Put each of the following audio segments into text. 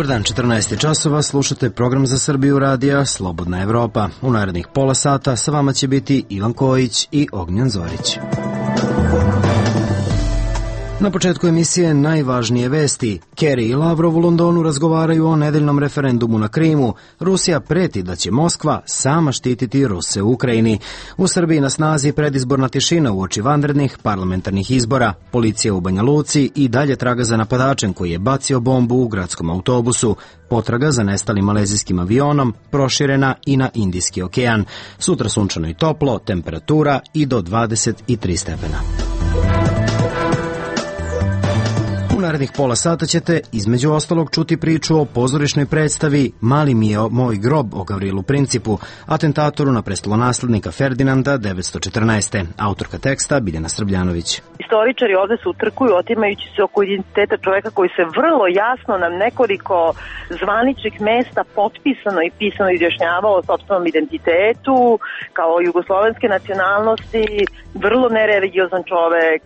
Dobar dan, 14 časova, slušate program za Srbiju radija Slobodna Evropa. U narednih pola sata sa vama će biti Ivan Kojić i Ognjen Zorić. Na početku emisije najvažnije vesti. Kerry i Lavrov u Londonu razgovaraju o nedeljnom referendumu na Krimu. Rusija preti da će Moskva sama štititi Ruse u Ukrajini. U Srbiji na snazi predizborna tišina uoči vanrednih parlamentarnih izbora. Policija u Banja Luci i dalje traga za napadačem koji je bacio bombu u gradskom autobusu. Potraga za nestalim malezijskim avionom proširena i na Indijski okean. Sutra sunčano i toplo, temperatura i do 23 stepena. U narednih pola sata ćete između ostalog čuti priču o pozorišnoj predstavi Mali mi je moj grob o Gavrilu Principu, atentatoru na prestolonaslednika Ferdinanda 914. Autorka teksta Biljana Srbljanović. Istoričari ovde se utrkuju otimajući se oko identiteta čoveka koji se vrlo jasno na nekoliko zvaničnih mesta potpisano i pisano izjašnjavao o sopstvenom identitetu, kao jugoslovenske nacionalnosti, vrlo nereligiozan čovek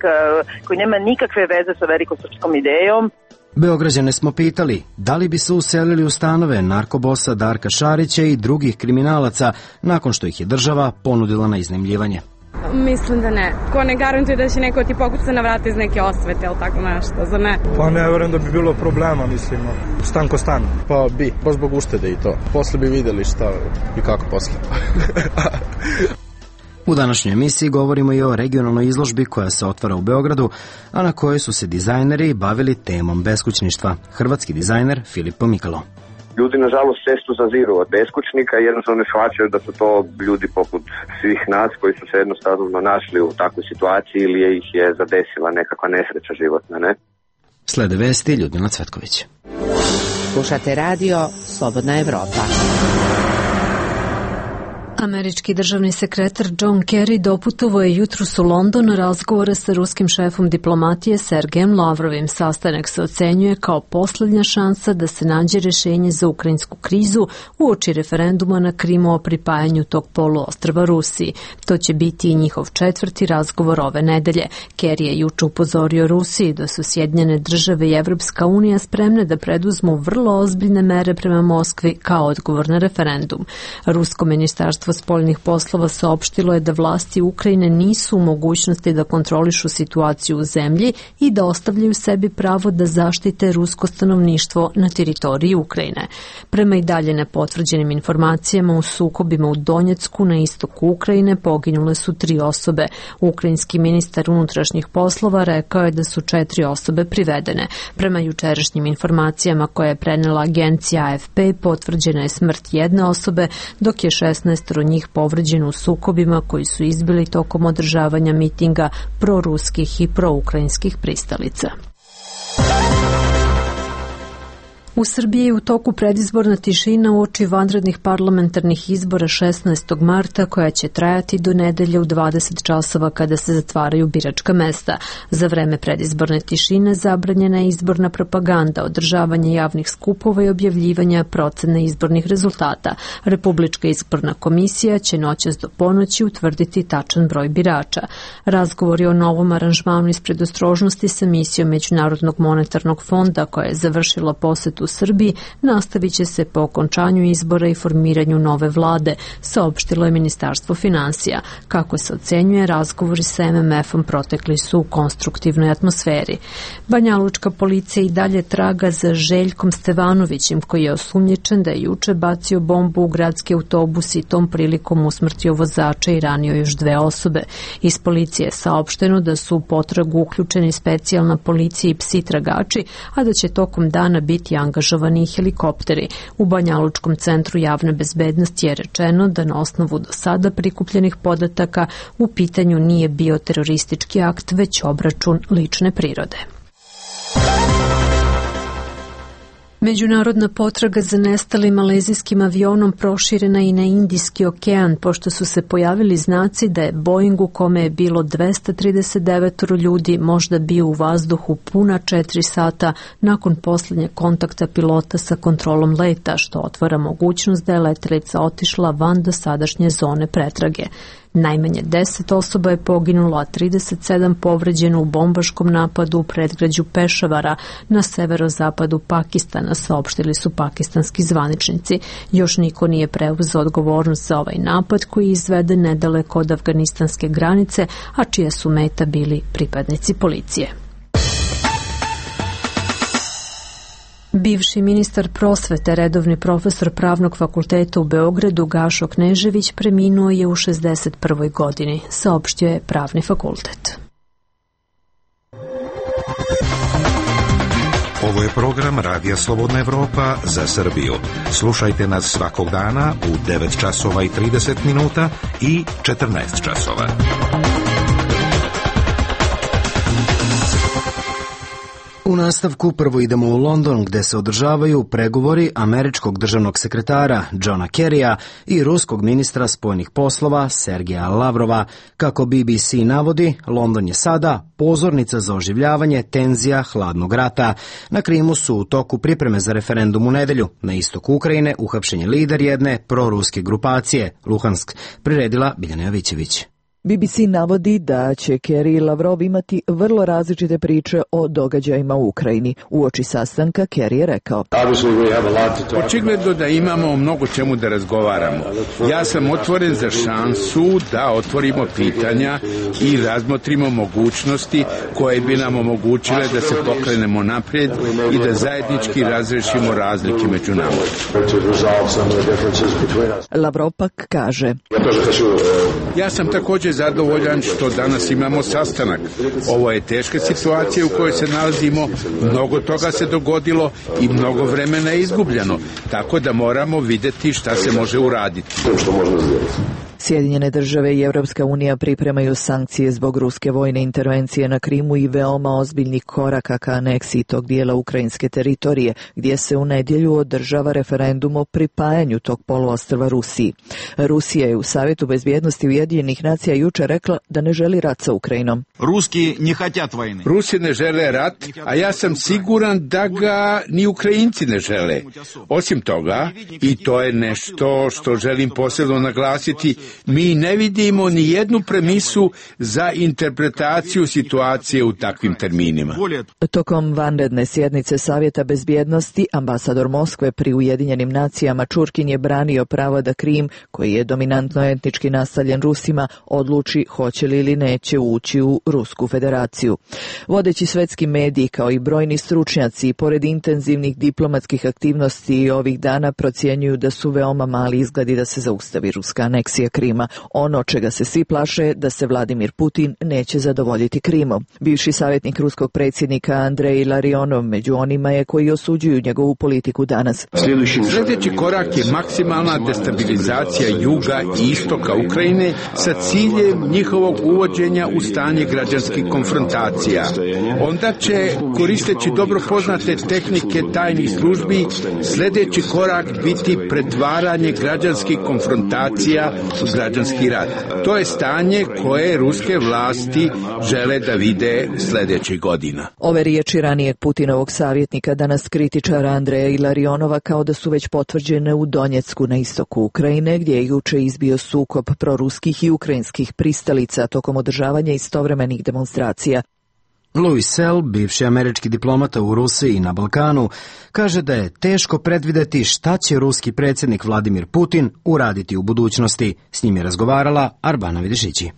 koji nema nikakve veze sa velikosrpskom idejom. Beograđane smo pitali da li bi se uselili u stanove narkobosa Darka Šarića i drugih kriminalaca nakon što ih je država ponudila na iznajmljivanje. Mislim da ne. Ko ne garantuje da će neko ti pokuca na vrata iz neke osvete ili tako nešto, za ne? Pa ne verujem da bi bilo problema, mislim, stan ko stan. Pa bi, baš zbog uštede i to. Posle bi videli šta i kako posle. U današnjoj emisiji govorimo i o regionalnoj izložbi koja se otvara u Beogradu, a na kojoj su se dizajneri bavili temom beskućništva. Hrvatski dizajner Filip Pomikalo. Ljudi, nažalost, često zaziru od beskućnika i jednostavno ne shvaćaju da su to ljudi poput svih nas koji su se jednostavno našli u takvoj situaciji ili ih je zadesila nekakva nesreća životna, ne? Slede vesti Ljudmila Cvetković. Slušate radio Slobodna Evropa. Američki državni sekretar John Kerry doputovao je jutros u London na razgovore sa ruskim šefom diplomatije Sergejem Lavrovim. Sastanak se ocenjuje kao poslednja šansa da se nađe rešenje za ukrajinsku krizu uoči referenduma na Krimu o pripajanju tog poluostrva Rusiji. To će biti i njihov četvrti razgovor ove nedelje. Kerry je juče upozorio Rusiji da su Sjedinjene države i Evropska unija spremne da preduzmu vrlo ozbiljne mere prema Moskvi kao odgovor na referendum. Rusko ministarstvo spoljnih poslova saopštilo je da vlasti Ukrajine nisu u mogućnosti da kontrolišu situaciju u zemlji i da ostavljaju sebi pravo da zaštite rusko stanovništvo na teritoriji Ukrajine. Prema i dalje nepotvrđenim informacijama, u sukobima u Donjecku na istoku Ukrajine poginule su 3 osobe. Ukrajinski ministar unutrašnjih poslova rekao je da su 4 osobe privedene. Prema jučerašnjim informacijama koje je prenela agencija AFP, potvrđena je smrt 1 osobe, dok je 16 njih povređeno u sukobima koji su izbili tokom održavanja mitinga proruskih i proukrajinskih pristalica. U Srbiji je u toku predizborna tišina uoči vanrednih parlamentarnih izbora 16. marta koja će trajati do nedelje u 20 časova kada se zatvaraju biračka mesta. Za vreme predizborne tišine zabranjena je izborna propaganda, održavanje javnih skupova i objavljivanja procene izbornih rezultata. Republička izborna komisija će noćas do ponoći utvrditi tačan broj birača. Razgovori o novom aranžmanu iz predostrožnosti sa misijom Međunarodnog monetarnog fonda koja je završila posetu u Srbiji nastavit će se po okončanju izbora i formiranju nove vlade, saopštilo je Ministarstvo finansija. Kako se ocenjuje, razgovori sa MMF-om protekli su u konstruktivnoj atmosferi. Banjalučka policija i dalje traga za Željkom Stevanovićem, koji je osumnjičen da je juče bacio bombu u gradski autobus i tom prilikom usmrtio vozača i ranio još 2 osobe. Iz policije je saopšteno da su u potragu uključeni specijalna policija i psi tragači, a da će tokom dana biti angažovani helikopteri. U Banjalučkom centru javne bezbednosti je rečeno da na osnovu do sada prikupljenih podataka u pitanju nije bio teroristički akt, već obračun lične prirode. Međunarodna potraga za nestalim malezijskim avionom proširena i na Indijski okean, pošto su se pojavili znaci da je Boeing u kome je bilo 239 ljudi možda bio u vazduhu puna 4 sata nakon posljednjeg kontakta pilota sa kontrolom leta, što otvara mogućnost da je letelica otišla van dosadašnje zone pretrage. Najmanje 10 osoba je poginulo, a 37 povređeno u bombaškom napadu u predgrađu Pešavara na severozapadu Pakistana, saopštili su pakistanski zvaničnici. Još niko nije preuzeo odgovornost za ovaj napad koji je izveden nedaleko od afganistanske granice, a čija su meta bili pripadnici policije. Bivši ministar prosvete, redovni profesor Pravnog fakulteta u Beogradu Gašo Knežević preminuo je u 61. godini, saopštio je Pravni fakultet. Ovo je program Radija Slobodna Evropa za Srbiju. Slušajte nas svakog dana u 9 časova i 30 minuta i 14 časova. U nastavku prvo idemo u London gde se održavaju pregovori američkog državnog sekretara Johna Kerrya i ruskog ministra spoljnih poslova Sergeja Lavrova. Kako BBC navodi, London je sada pozornica za oživljavanje tenzija hladnog rata. Na Krimu su u toku pripreme za referendum u nedelju. Na istoku Ukrajine uhapšen je lider jedne proruske grupacije, Luhansk, priredila Biljana Jovićević. BBC navodi da će Kerry i Lavrov imati vrlo različite priče o događajima u Ukrajini. Uoči sastanka Kerry je rekao: Očigledno da imamo mnogo čemu da razgovaramo. Ja sam otvoren za šansu da otvorimo pitanja i razmotrimo mogućnosti koje bi nam omogućile da se pokrenemo naprijed i da zajednički razrešimo razlike među nama. Lavrov pak kaže: Ja sam također zadovoljan što danas imamo sastanak. Ovo je teška situacija u kojoj se nalazimo, mnogo toga se dogodilo i mnogo vremena je izgubljeno, tako da moramo vidjeti šta se može uraditi. Sjedinjene države i Evropska unija pripremaju sankcije zbog ruske vojne intervencije na Krimu i veoma ozbiljnih koraka ka aneksiji tog dijela ukrajinske teritorije, gdje se u nedjelju održava referendum o pripajanju tog poluostrva Rusiji. Rusija je u Savjetu bezbjednosti Ujedinjenih nacija jučer rekla da ne želi rat sa Ukrajinom. Rusi ne žele rat, a ja sam siguran da ga ni Ukrajinci ne žele. Osim toga, i to je nešto što želim posebno naglasiti, mi ne vidimo ni jednu premisu za interpretaciju situacije u takvim terminima. Tokom vanredne sjednice Savjeta bezbjednosti, ambasador Moskve pri Ujedinjenim nacijama Čurkin je branio pravo da Krim, koji je dominantno etnički naseljen Rusima, odluči hoće li ili neće ući u Rusku federaciju. Vodeći svetski mediji kao i brojni stručnjaci, pored intenzivnih diplomatskih aktivnosti ovih dana, procjenjuju da su veoma mali izgledi da se zaustavi ruska aneksija Krima. Ono čega se svi plaše da se Vladimir Putin neće zadovoljiti Krimom. Bivši savjetnik ruskog predsjednika Andrej Larionov među onima je koji osuđuju njegovu politiku danas. Sljedeći korak je maksimalna destabilizacija juga i istoka Ukrajine sa ciljem njihovog uvođenja u stanje građanskih konfrontacija. Onda će, koristeći dobro poznate tehnike tajnih službi, sljedeći korak biti pretvaranje građanskih konfrontacija u građanski rat. To je stanje koje ruske vlasti žele da vide sljedećih godina. Ove riječi ranijeg Putinovog savjetnika, danas kritičara Andreja Ilarionova, kao da su već potvrđene u Donjecku na istoku Ukrajine, gdje je juče izbio sukob proruskih i ukrajinskih pristalica tokom održavanja istovremenih demonstracija. Louis Sell, bivši američki diplomata u Rusiji i na Balkanu, kaže da je teško predvideti šta će ruski predsjednik Vladimir Putin uraditi u budućnosti. S njim je razgovarala Arbana Vidišići.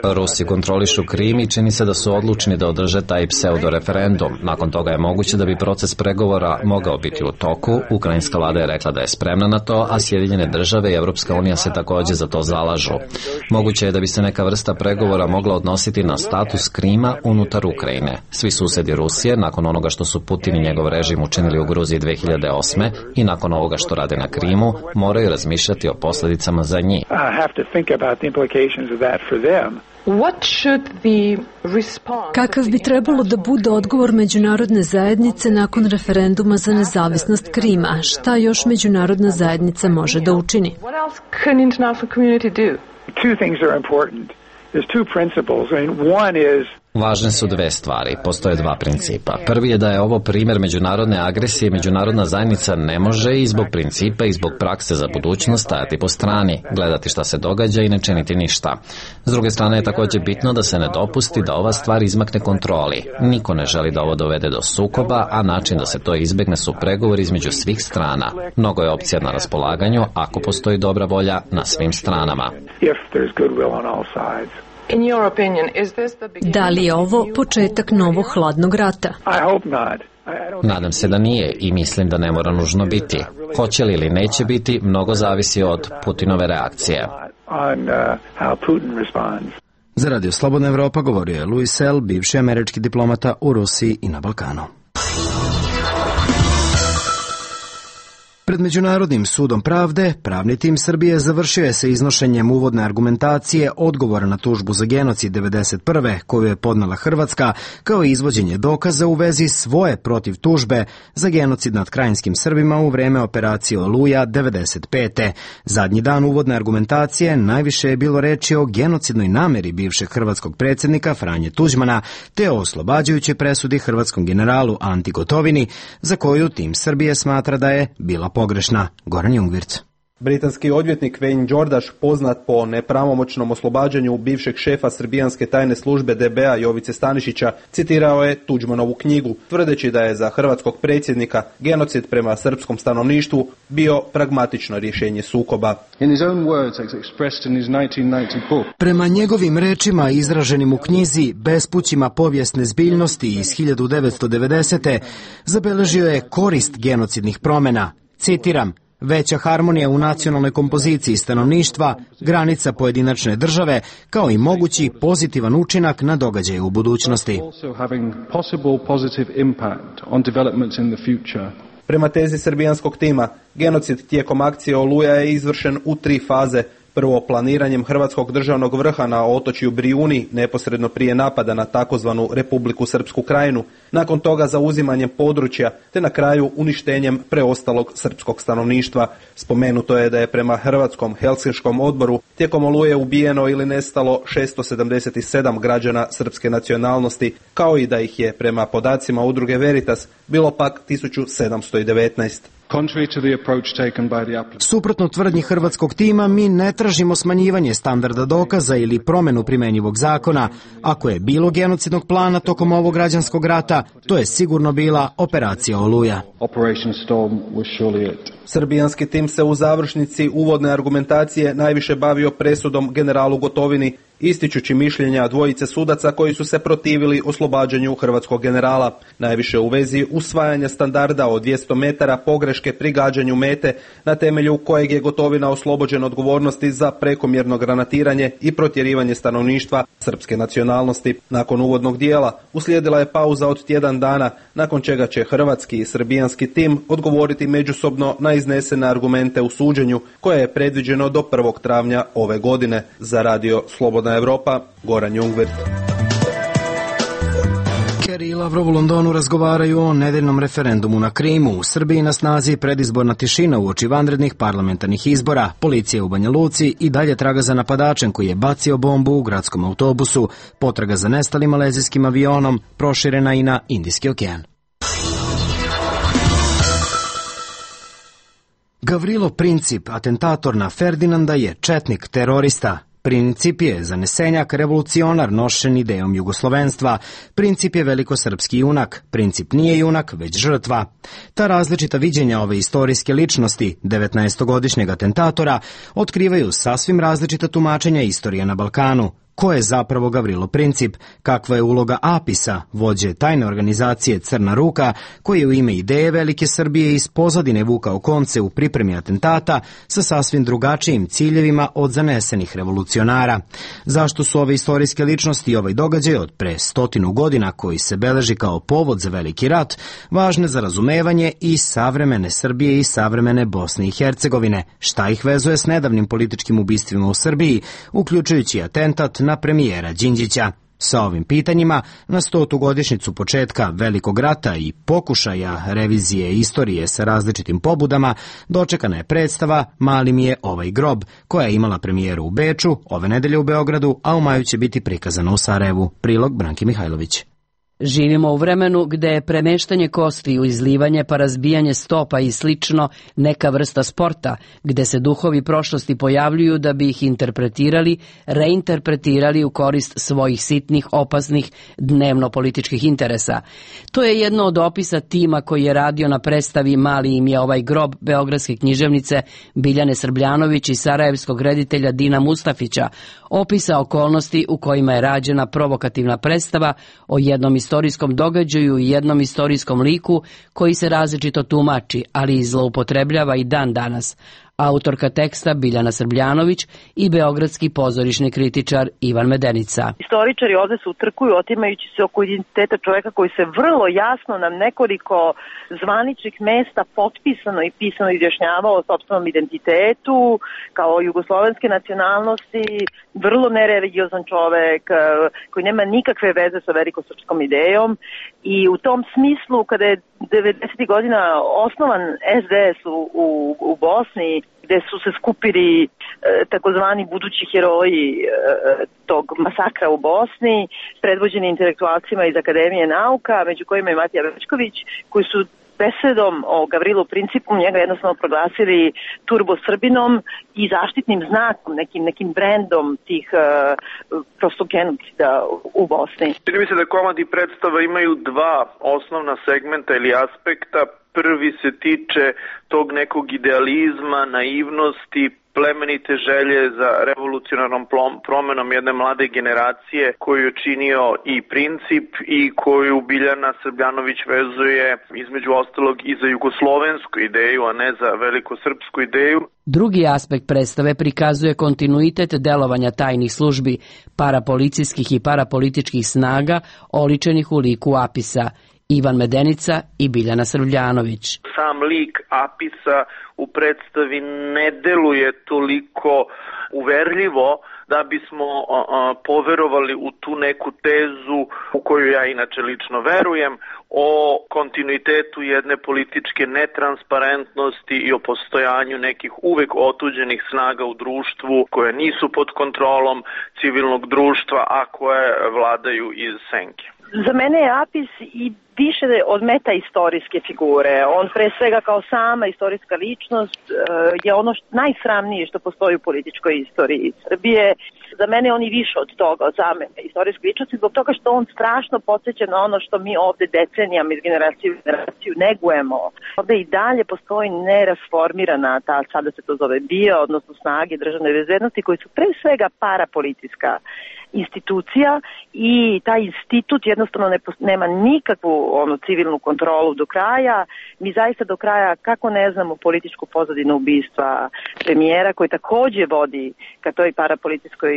Rusi kontrolišu Krim i čini se da su odlučni da održe taj pseudo-referendum. Nakon toga je moguće da bi proces pregovora mogao biti u toku. Ukrajinska vlada je rekla da je spremna na to, a Sjedinjene države i Evropska unija se također za to zalažu. Moguće je da bi se neka vrsta pregovora mogla odnositi na status Krima unutar Ukrajine. Svi susjedi Rusije, nakon onoga što su Putin i njegov režim učinili u Gruziji 2008. i nakon ovoga što rade na Krimu, moraju razmišljati o posljedicama za njih. Kakav bi trebalo da bude odgovor međunarodne zajednice nakon referenduma za nezavisnost Krima? Šta još međunarodna zajednica može da učini? Važne su dve stvari, postoje dva principa. Prvi je da je ovo primjer međunarodne agresije, međunarodna zajednica ne može i zbog principa i zbog prakse za budućnost stajati po strani, gledati šta se događa i ne činiti ništa. S druge strane je također bitno da se ne dopusti da ova stvar izmakne kontroli. Niko ne želi da ovo dovede do sukoba, a način da se to izbjegne su pregovori između svih strana. Mnogo je opcija na raspolaganju ako postoji dobra volja na svim stranama. Da li je ovo početak novog hladnog rata? Nadam se da nije i mislim da ne mora nužno biti. Hoće li ili neće biti, mnogo zavisi od Putinove reakcije. Za Radio Slobodna Evropa govorio je Louis Sell, bivši američki diplomata u Rusiji i na Balkanu. Pred Međunarodnim sudom pravde, pravni tim Srbije završio je sa iznošenjem uvodne argumentacije odgovora na tužbu za genocid 1991. koju je podnela Hrvatska, kao i izvođenje dokaza u vezi svoje protiv tužbe za genocid nad krajinskim Srbima u vreme operacije Oluja 1995. Zadnji dan uvodne argumentacije najviše je bilo reči o genocidnoj nameri bivšeg hrvatskog predsjednika Franje Tuđmana, te o oslobađajućoj presudi hrvatskom generalu Anti Gotovini, za koju tim Srbije smatra da je bila pogrešna. Goran Jungwirth. Britanski odvjetnik Wayne Đordaš, poznat po nepravomoćnom oslobađanju bivšeg šefa srbijanske tajne službe DB-a Jovice Stanišića, citirao je Tuđmanovu knjigu, tvrdeći da je za hrvatskog predsjednika genocid prema srpskom stanovništvu bio pragmatično rješenje sukoba. Prema njegovim rečima izraženim u knjizi Bespućima povijesne zbiljnosti iz 1990. zabeležio je korist genocidnih promjena. Citiram: veća harmonija u nacionalnoj kompoziciji stanovništva, granica pojedinačne države, kao i mogući pozitivan učinak na događaje u budućnosti. Prema tezi srbijanskog tima, genocid tijekom akcije Oluja je izvršen u 3 faze. Prvo, planiranjem hrvatskog državnog vrha na otočju Brijuni, neposredno prije napada na takozvanu Republiku Srpsku krajinu, nakon toga zauzimanjem područja, te na kraju uništenjem preostalog srpskog stanovništva. Spomenuto je da je prema Hrvatskom Helsinškom odboru tijekom Oluje ubijeno ili nestalo 677 građana srpske nacionalnosti, kao i da ih je prema podacima udruge Veritas bilo pak 1719. Suprotno tvrdnji hrvatskog tima, mi ne tražimo smanjivanje standarda dokaza ili promjenu primjenjivog zakona. Ako je bilo genocidnog plana tokom ovog građanskog rata, to je sigurno bila operacija Oluja. Srbijanski tim se u završnici uvodne argumentacije najviše bavio presudom generalu Gotovini, ističući mišljenja dvojice sudaca koji su se protivili oslobađanju hrvatskog generala, najviše u vezi usvajanja standarda od 200 metara pogreške pri gađanju mete, na temelju kojeg je Gotovina oslobođen odgovornosti za prekomjerno granatiranje i protjerivanje stanovništva srpske nacionalnosti. Nakon uvodnog dijela uslijedila je pauza od tjedan dana, nakon čega će hrvatski i srbijanski tim odgovoriti međusobno na iznesene argumente u suđenju, koje je predviđeno do 1. travnja ove godine. Za Radio Slobodna Evropa, Goran Jungwirth. Kerry i Lavrov u Londonu razgovaraju o nedeljnom referendumu na Krimu. U Srbiji na snazi predizborna tišina uoči vanrednih parlamentarnih izbora. Policija u Banja Luci i dalje traga za napadačem koji je bacio bombu u gradskom autobusu. Potraga za nestalim malezijskim avionom proširena i na Indijski okean. Gavrilo Princip, atentator na Ferdinanda, je četnik, terorista. Princip je zanesenjak, revolucionar nošen idejom jugoslovenstva. Princip je velikosrpski junak. Princip nije junak, već žrtva. Ta različita viđenja ove istorijske ličnosti, 19-godišnjeg atentatora, otkrivaju sasvim različita tumačenja istorije na Balkanu. Ko je zapravo Gavrilo Princip? Kakva je uloga APIS-a, vođe tajne organizacije Crna ruka, koji je u ime ideje Velike Srbije iz pozadine vukao konce u pripremi atentata sa sasvim drugačijim ciljevima od zanesenih revolucionara? Zašto su ove istorijske ličnosti i ovaj događaj od pre 100 godina, koji se beleži kao povod za veliki rat, važne za razumevanje i savremene Srbije i savremene Bosne i Hercegovine? Šta ih vezuje s nedavnim političkim ubistvima u Srbiji, uključujući atentat na premijera Đinđića? Sa ovim pitanjima, na 100. godišnjicu početka Velikog rata i pokušaja revizije istorije sa različitim pobudama, dočekana je predstava Mali mi je ovaj grob, koja je imala premijeru u Beču, ove nedelje u Beogradu, a u maju će biti prikazana u Sarajevu. Prilog Branki Mihajlović. Živimo u vremenu gde je premeštanje kostiju, izlivanje pa razbijanje stopa i slično neka vrsta sporta, gde se duhovi prošlosti pojavljuju da bi ih interpretirali, reinterpretirali u korist svojih sitnih, opasnih, dnevno-političkih interesa. To je jedno od opisa tima koji je radio na predstavi Mali im je ovaj grob beogradske književnice Biljane Srbljanović i sarajevskog reditelja Dina Mustafića, opisa okolnosti u kojima je rađena provokativna predstava o jednom istorijskom događaju i jednom istorijskom liku koji se različito tumači, ali i zloupotrebljava i dan danas. Autorka teksta Biljana Srbljanović i beogradski pozorišni kritičar Ivan Medenica. Istoričari ovde se utrkuju otimajući se oko identiteta čoveka koji se vrlo jasno na nekoliko zvaničnih mesta potpisano i pisano izjašnjavao o sopstvenom identitetu, kao jugoslovenske nacionalnosti, vrlo nereligiozan čovek koji nema nikakve veze sa velikosrpskom idejom i u tom smislu kada je 90. godina osnovan SDS u Bosni, gde su se skupili takozvani budući heroji tog masakra u Bosni, predvođeni intelektualcima iz Akademije nauka, među kojima je Matija Večković, koji su besedom o Gavrilu Principu njega jednostavno proglasili turbo Srbinom i zaštitnim znakom, nekim brendom tih prosto genocida u Bosni. Čini mi se da komad i predstava imaju dva osnovna segmenta ili aspekta. Prvi se tiče tog nekog idealizma, naivnosti, plemenite želje za revolucionarnom promenom jedne mlade generacije koju je činio i Princip i koju Biljana Srbljanović vezuje između ostalog i za jugoslovensku ideju, a ne za velikosrpsku ideju. Drugi aspekt predstave prikazuje kontinuitet delovanja tajnih službi, parapolicijskih i parapolitičkih snaga oličenih u liku Apisa. Ivan Medenica i Biljana Srbljanović. Sam lik Apisa u predstavi ne deluje toliko uverljivo da bismo poverovali u tu neku tezu u koju ja inače lično verujem o kontinuitetu jedne političke netransparentnosti i o postojanju nekih uvek otuđenih snaga u društvu koje nisu pod kontrolom civilnog društva, a koje vladaju iz senke. Za mene je Apis i više od metaistorijske figure. On pre svega kao sama istorijska ličnost je ono najsramnije što postoji u političkoj istoriji Srbije. Za mene on i više od toga, od same istorijske ličnosti, zbog toga što on strašno podsjeća na ono što mi ovde decenijama iz generacije u generaciju negujemo. Ovde i dalje postoji nerasformirana ta, sada se to zove BIA, odnosno snage državne bezbednosti, koji su pre svega parapolitička institucija i taj institut jednostavno nema nikakvu civilnu kontrolu do kraja. Mi zaista do kraja, kako ne znamo političku pozadinu ubistva premijera koji takođe vodi ka toj parapolitičkoj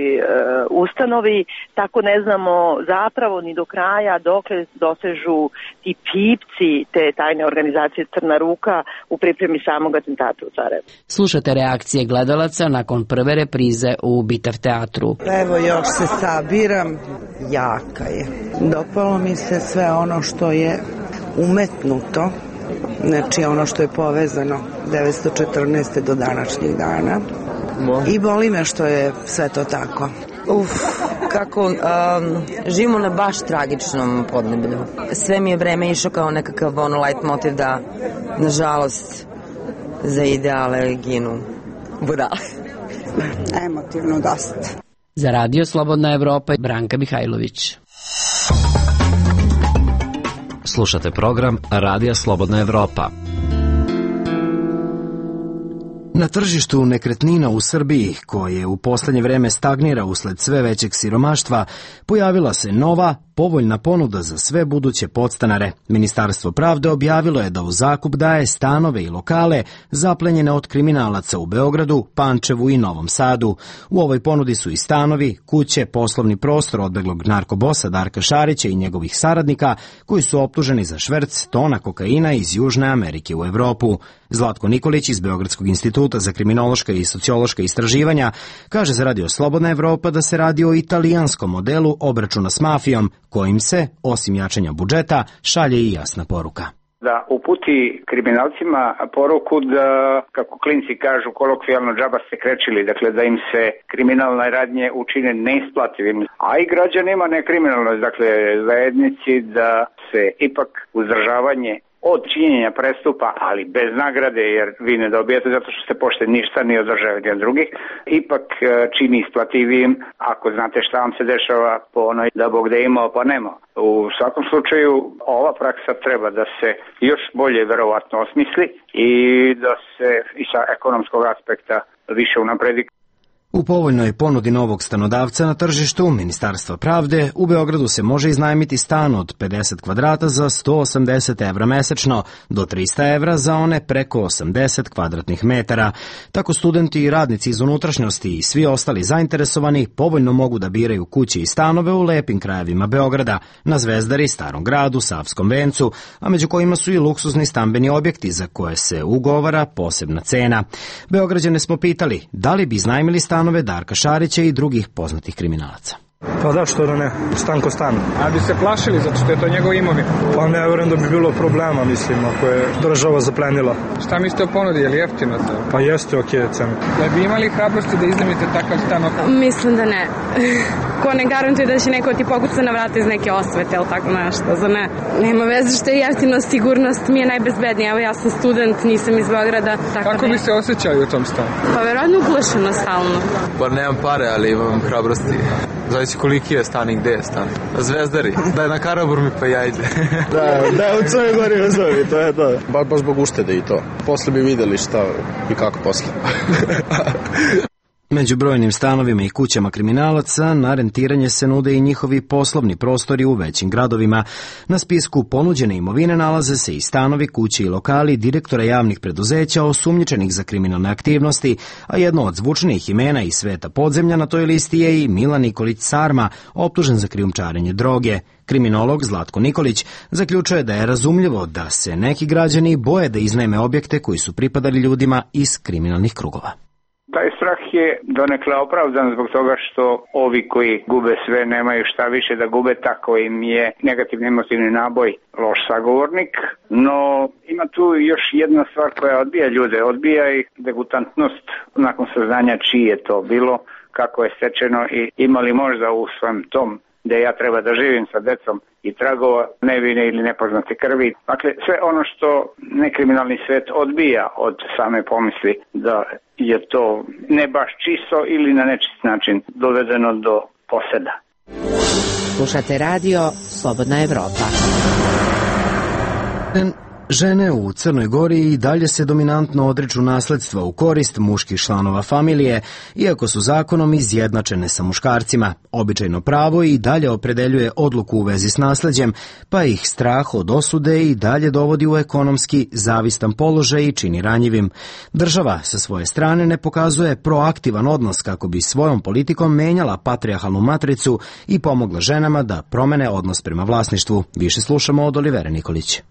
ustanovi, tako ne znamo zapravo ni do kraja dokle dosežu ti pipci te tajne organizacije Crna ruka u pripremi samog atentata u Sarajevu. Slušate reakcije gledalaca nakon prve reprize u Bitav teatru. Evo još se sabiram, jaka je. Dopalo mi se sve ono što je umetnuto, znači ono što je povezano 1914. do današnjih dana. I boli me što je sve to tako. Kako živimo na baš tragičnom podneblju. Sve mi je vreme išao kao nekakav light motiv da, nažalost, za ideale ginu budale. Emotivno dosta. Za Radio Slobodna Evropa, Branka Mihajlović. Slušate program Radija Slobodna Evropa. Na tržištu nekretnina u Srbiji, koje u poslednje vreme stagnira usled sve većeg siromaštva, pojavila se nova, povoljna ponuda za sve buduće podstanare. Ministarstvo pravde objavilo je da u zakup daje stanove i lokale zaplenjene od kriminalaca u Beogradu, Pančevu i Novom Sadu. U ovoj ponudi su i stanovi, kuće, poslovni prostor odbeglog narkobosa Darka Šarića i njegovih saradnika koji su optuženi za šverc tona kokaina iz Južne Amerike u Evropu. Zlatko Nikolić iz Beogradskog instituta za kriminološka i sociološka istraživanja kaže za Radio Slobodna Evropa da se radi o italijanskom modelu obračuna s mafijom, kojim se, osim jačanja budžeta, šalje i jasna poruka. Da uputi kriminalcima poruku da, kako klinci kažu, kolokvijalno džaba se krečili, dakle da im se kriminalne radnje učine neisplativim, a i građanima nekriminalno, dakle zajednici, da se ipak uzdržavanje od činjenja prestupa, ali bez nagrade, jer vi ne dobijete zato što ste pošteni ništa ni od države ni od drugih, ipak čini isplativijim ako znate šta vam se dešava po onoj da Bog da imao pa nemao. U svakom slučaju ova praksa treba da se još bolje verovatno osmisli i da se i sa ekonomskog aspekta više unapredi. U povoljnoj ponudi novog stanodavca na tržištu Ministarstva pravde u Beogradu se može iznajmiti stan od 50 kvadrata za 180 evra mesečno do 300 evra za one preko 80 kvadratnih metara. Tako studenti i radnici iz unutrašnjosti i svi ostali zainteresovani povoljno mogu da biraju kuće i stanove u lepim krajevima Beograda, na Zvezdari, Starom gradu, Savskom vencu, a među kojima su i luksuzni stambeni objekti za koje se ugovara posebna cena. Beograđane smo pitali da li bi iznajmili stanove Darka Šarića i drugih poznatih kriminalaca. Pa da, što da ne, stan ko stan. A bi se plašili zato što je to njegov imovina? Pa ne verujem da bi bilo problema, mislim, ako je država zaplenila. Šta mislite o ponudi, je li jeftino to? Pa jeste okej cena. Da bi imali hrabrosti da iznajmite takav stan? Mislim da ne. Ko ne garantuje da će neko ti pokuca na vrata iz neke osvete ili tako nešto, za ne. Nema veze što je jeftino, sigurnost mi je najbezbednija. Evo ja sam student, nisam iz Beograda. Kako bi se osjećali u tom stanu? Pa verovatno uplašeno stalno. Pa nemam pare, ali imam hrabrosti. Zavisi koliki je stan i gde je stan. Na Zvezdari, da je na Karaburmi pa ja ide. da, u Crnoj Gori uzovi, to je to. Baš zbog uštede i to. Posle bi videli šta i kako posle. Među brojnim stanovima i kućama kriminalaca na rentiranje se nude i njihovi poslovni prostori u većim gradovima. Na spisku ponuđene imovine nalaze se i stanovi, kuće i lokali direktora javnih preduzeća osumnjičenih za kriminalne aktivnosti, a jedno od zvučnijih imena iz sveta podzemlja na toj listi je i Milan Nikolić Sarma, optužen za krijumčarenje droge. Kriminolog Zlatko Nikolić zaključuje da je razumljivo da se neki građani boje da iznajme objekte koji su pripadali ljudima iz kriminalnih krugova. Taj strah je donekle opravdan zbog toga što ovi koji gube sve nemaju šta više da gube, tako im je negativni emotivni naboj loš sagovornik, no ima tu još jedna stvar koja odbija ljude, odbija ih degutantnost nakon saznanja čiji je to bilo, kako je stečeno i imali možda u svojem tom da ja treba da živim sa decom i tragova nevine ili nepoznate krvi. Dakle, sve ono što nekriminalni svet odbija od same pomisli da je to ne baš čisto ili na nečist način dovedeno do poseda. Slušate radio Slobodna Evropa. Žene u Crnoj Gori i dalje se dominantno odriču nasledstva u korist muških članova familije, iako su zakonom izjednačene sa muškarcima. Običajno pravo i dalje opredeljuje odluku u vezi s nasleđem, pa ih strah od osude i dalje dovodi u ekonomski zavistan položaj i čini ranjivim. Država sa svoje strane ne pokazuje proaktivan odnos kako bi svojom politikom menjala patrijarhalnu matricu i pomogla ženama da promene odnos prema vlasništvu. Više slušamo od Olivere Nikolić.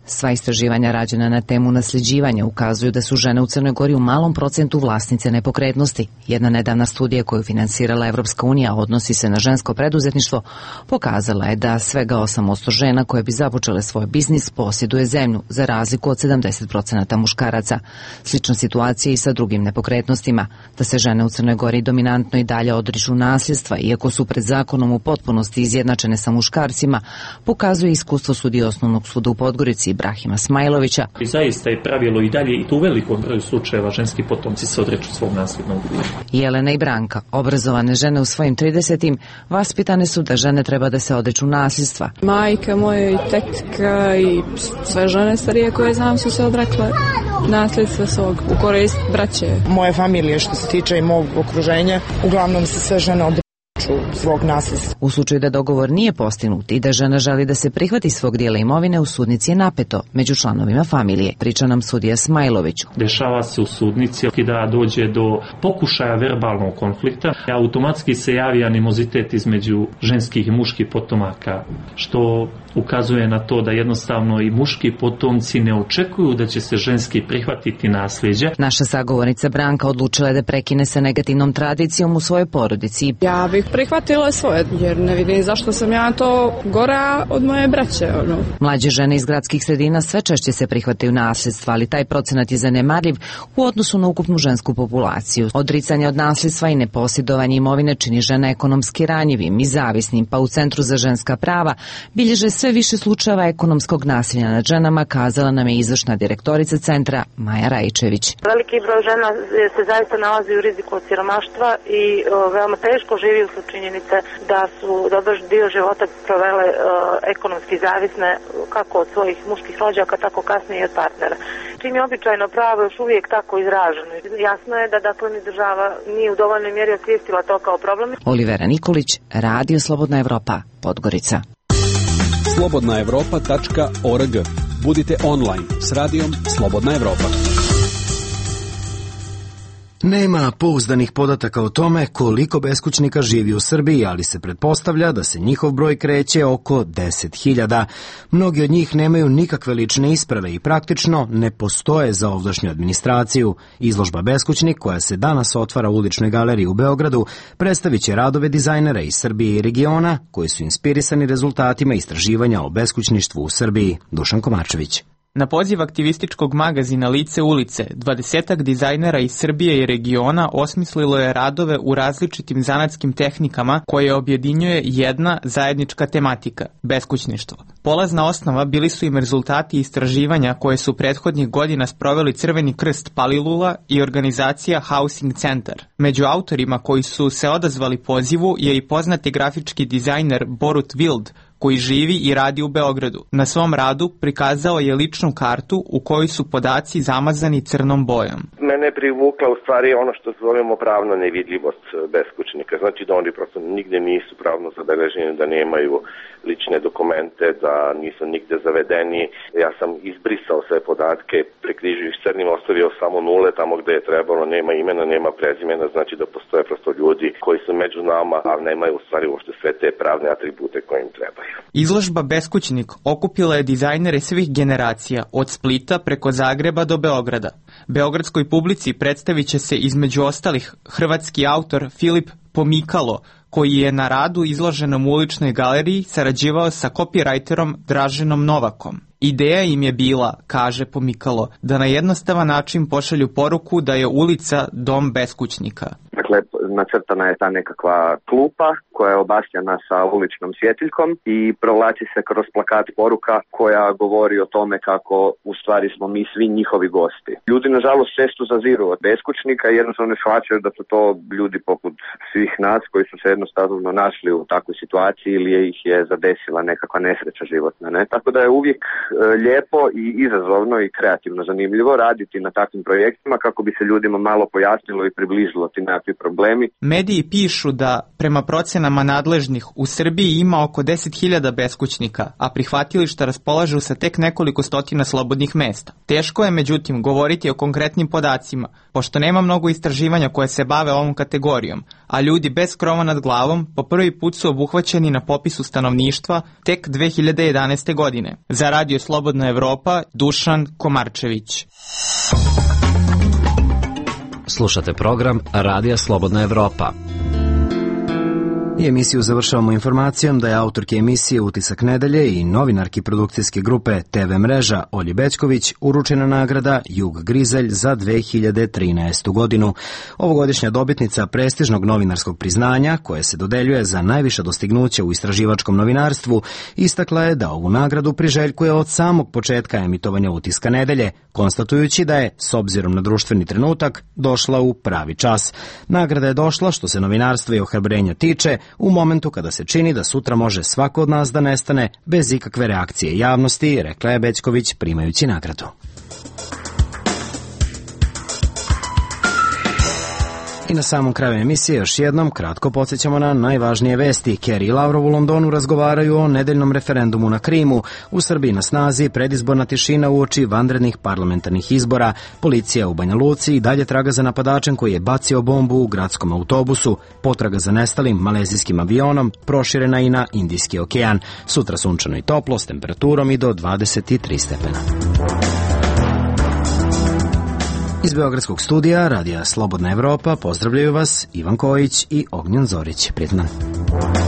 Sva istraživanja rađena na temu nasljeđivanja ukazuju da su žene u Crnoj Gori u malom procentu vlasnice nepokretnosti. Jedna nedavna studija koju finansirala Evropska unija, odnosi se na žensko preduzetništvo, pokazala je da svega 8% žena koje bi započele svoj biznis posjeduje zemlju, za razliku od 70% muškaraca. Slična situacija i sa drugim nepokretnostima. Da se žene u Crnoj Gori dominantno i dalje odriču nasljedstva, iako su pred zakonom u potpunosti izjednačene sa muškarcima, pokazuje iskustvo sudije Osnovnog suda u Podgorici Ibrahima Smajlovića. I zaista je pravilo i dalje i tu u velikom broju slučajeva ženski potomci se odriču svog nasljednog dijela. Jelena i Branka, obrazovane žene u svojim 30-im, vaspitane su da žene treba da se odriču nasljedstva. Majka moja i tetka i sve žene starije koje znam su se odrekle nasljedstva svog u korist braće. Moje familije što se tiče i mog okruženja, uglavnom se sve žene odriču. svog nasledstva. U slučaju da dogovor nije postignut i da žena želi da se prihvati svog dijela imovine, u sudnici je napeto među članovima familije. Priča nam sudija Smajlović. Dešava se u sudnici da dođe do pokušaja verbalnog konflikta. Automatski se javi animozitet između ženskih i muških potomaka, što ukazuje na to da jednostavno i muški potomci ne očekuju da će se ženski prihvatiti nasljeđe. Naša sagovornica Branka odlučila je da prekine sa negativnom tradicijom u svojoj porodici. Ja bih prihvatila svoje, jer ne vidim zašto sam ja to gora od moje braće. Mlađe žene iz gradskih sredina sve češće se prihvataju nasljedstva, ali taj procenat je zanemarljiv u odnosu na ukupnu žensku populaciju. Odricanje od nasljedstva i neposjedovanje imovine čini žene ekonomski ranjivim i zavisnim, pa u Centru za ženska prava bilježe sve više slučajeva ekonomskog nasilja nad ženama, kazala nam je izvršna direktorica centra Maja Rajčević. Veliki broj žena se zaista nalazi u riziku od siromaštva i veoma teško živi usled činjenice da su dobar dio života provele ekonomski zavisne kako od svojih muških rođaka, tako kasnije i od partnera. Čim je običajno pravo još uvijek tako izraženo. Jasno je da dakle ni država nije u dovoljnoj mjeri osvijestila to kao problem. Olivera Nikolić, Radio Slobodna Evropa, Podgorica. slobodnaevropa.org. Budite online s radijom Slobodna Evropa. Nema pouzdanih podataka o tome koliko beskućnika živi u Srbiji, ali se pretpostavlja da se njihov broj kreće oko 10.000. Mnogi od njih nemaju nikakve lične isprave i praktično ne postoje za ovdašnju administraciju. Izložba Beskućnik, koja se danas otvara u Uličnoj galeriji u Beogradu, predstavit će radove dizajnera iz Srbije i regiona koji su inspirisani rezultatima istraživanja o beskućništvu u Srbiji. Dušan Komarčević. Na poziv aktivističkog magazina Lice ulice, 20-ak dizajnera iz Srbije i regiona osmislilo je radove u različitim zanatskim tehnikama koje objedinjuje jedna zajednička tematika – beskućništvo. Polazna osnova bili su im rezultati istraživanja koje su prethodnih godina sproveli Crveni krst Palilula i organizacija Housing Centar. Među autorima koji su se odazvali pozivu je i poznati grafički dizajner Borut Wild, koji živi i radi u Beogradu. Na svom radu prikazao je ličnu kartu u kojoj su podaci zamazani crnom bojom. Mene je privukla u stvari ono što zovemo pravna nevidljivost beskućnika. Znači da oni prosto nigde nisu pravno zabeleženi, da nemaju lične dokumente, da nisu nigde zavedeni. Ja sam izbrisao sve podatke, prekrižio ih crnim, ostavio samo nule tamo gde je trebalo, nema imena, nema prezimena, znači da postoje prosto ljudi koji su među nama, a nemaju u stvari uopšte sve te pravne atribute koje im trebaju. Izložba Beskućnik okupila je dizajnere svih generacija, od Splita preko Zagreba do Beograda. Beogradskoj publici predstavit će se između ostalih hrvatski autor Filip Pomikalo, koji je na radu izloženom u Uličnoj galeriji sarađivao sa copywriterom Draženom Novakom. Ideja im je bila, kaže Pomikalo, da na jednostavan način pošalju poruku da je ulica dom beskućnika. Dakle, nacrtana je ta nekakva klupa koja je obasjana sa uličnom svjetiljkom i provlači se kroz plakat poruka koja govori o tome kako u stvari smo mi svi njihovi gosti. Ljudi nažalost često zaziru od beskućnika i jednostavno ne shvaćaju da su to ljudi poput svih nas koji su se jednostavno našli u takvoj situaciji ili ih je zadesila nekakva nesreća životna. Ne? Tako da je uvijek lijepo i izazovno i kreativno zanimljivo raditi na takvim projektima kako bi se ljudima malo pojasnilo i približilo ti nekakvi problemi. Mediji pišu da prema procenama nadležnih u Srbiji ima oko 10.000 beskućnika, a prihvatilišta raspolažu sa tek nekoliko stotina slobodnih mesta. Teško je međutim govoriti o konkretnim podacima, pošto nema mnogo istraživanja koje se bave ovom kategorijom, a ljudi bez krova nad glavom po prvi put su obuhvaćeni na popisu stanovništva tek 2011. godine. Za Radio Slobodna Evropa, Dušan Komarčević. Slušate program Radija Slobodna Evropa. I emisiju završavamo informacijom da je autorki emisije Utisak nedelje i novinarki produkcijske grupe TV Mreža Olji Bećković uručena nagrada Jug Grizelj za 2013. godinu. Ovogodišnja dobitnica prestižnog novinarskog priznanja, koje se dodeljuje za najviša dostignuća u istraživačkom novinarstvu, istakla je da ovu nagradu priželjkuje od samog početka emitovanja Utiska nedelje, konstatujući da je, s obzirom na društveni trenutak, došla u pravi čas. Nagrada je došla, što se novinarstva i ohrabrenja tiče, u momentu kada se čini da sutra može svako od nas da nestane bez ikakve reakcije javnosti, rekla je Bećković primajući nagradu. I na samom kraju emisije još jednom kratko podsjećamo na najvažnije vesti. Kerry i Lavrov u Londonu razgovaraju o nedeljnom referendumu na Krimu. U Srbiji na snazi predizborna tišina uoči vanrednih parlamentarnih izbora. Policija u Banja Luci i dalje traga za napadačem koji je bacio bombu u gradskom autobusu. Potraga za nestalim malezijskim avionom proširena i na Indijski okean. Sutra sunčano i toplo s temperaturom i do 23 stepena. Iz Beogradskog studija Radija Slobodna Evropa pozdravljaju vas Ivan Kojić i Ognjen Zorić. Prijetno dan.